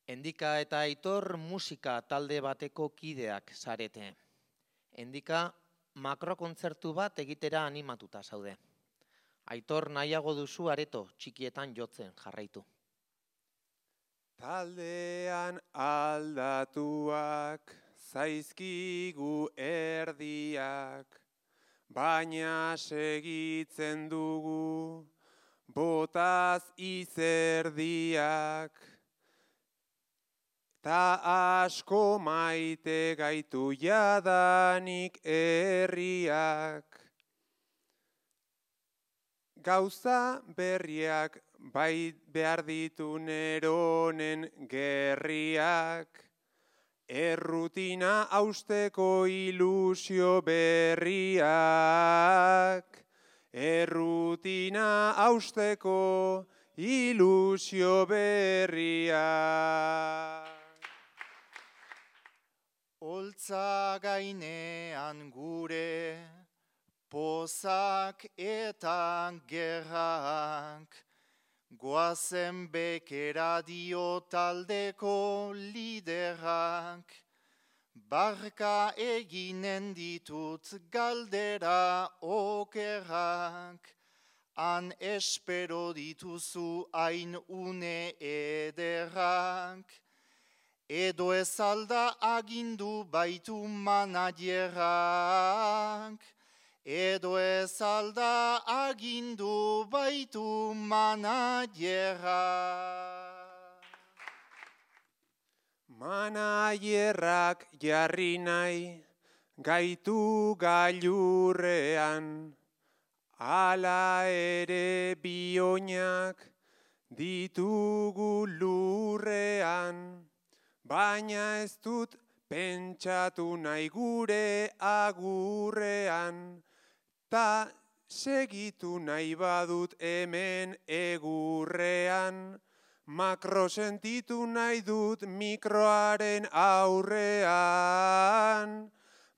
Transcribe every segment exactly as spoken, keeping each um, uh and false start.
Endika eta Aitor musika talde bateko kideak zarete. Endika makrokontzertu bat egitera animatuta zaude. Aitor nahiago duzu areto txikietan jotzen jarraitu. Taldean aldatuak zaizkigu erdiak, baina segitzen dugu botaz izerdiak. Ta asko maite gaitu jadanik herriak. Gauza berriak bai behar ditu neronen gerriak. Errutina hausteko ilusio berriak. Errutina hausteko ilusio berriak. Oltza gainean gure, pozak eta gerrak, goazen bekera dio taldeko liderak, barka eginen ditut galdera okerrak, han espero dituzu hain une ederrak, edo ez alda agindu baitu manajerak, edo ez alda agindu baitu manajerak. Manajerrak jarri nahi gaitu gailurrean, hala ere bioinak ditugu lurrean. Baina ez dut pentsatu nahi gure agurrean, ta segitu nahi badut hemen egurrean, makro sentitu nahi dut mikroaren aurrean,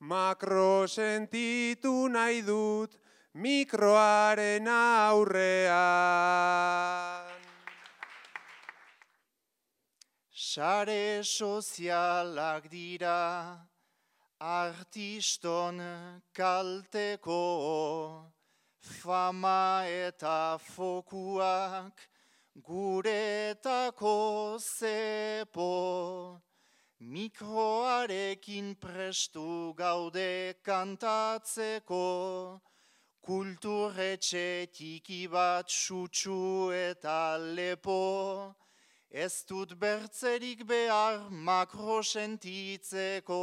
makro sentitu nahi dut mikroaren aurrean. Sare sozialak dira artiston kalteko, fama eta fokuak guretako zepo. Mikroarekin prestu gaude kantatzeko, kulturretxe tiki bat sutsu eta lepo. Ez dut bertzerik behar makro sentitzeko,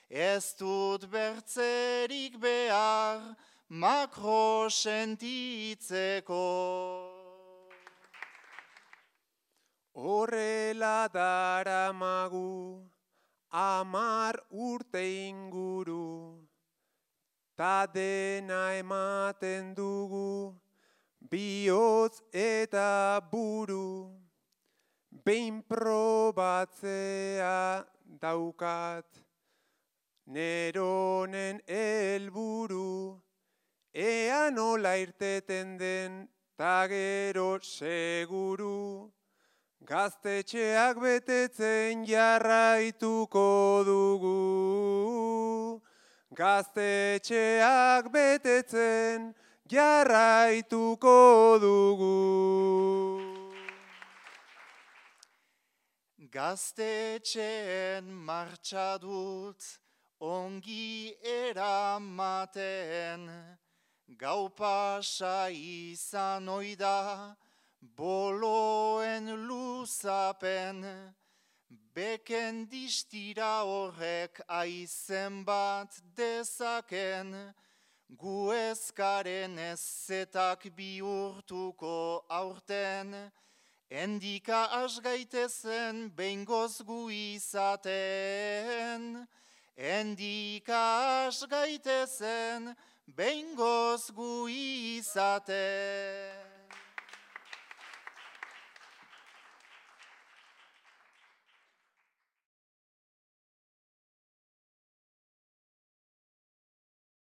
ez dut bertzerik behar makro sentitzeko. Horrela daramagu amar urte inguru, ta dena ematen dugu bihotz eta buru. Behin probatzea daukat neronen helburu, ea nola irteten den ta gero seguru. Gaztetxeak betetzen jarraituko dugu, gaztetxeak betetzen jarraituko dugu. Gaztetxeen martxa dut ongi eramaten, gau pasa izan oida boloen luzapen, beken distira horrek aizen bat dezaken, gu ezkaren ezetak bihurtuko aurten, endika asgaitezen behingoz gu izaten, endika asgaitezen behingoz gu izaten.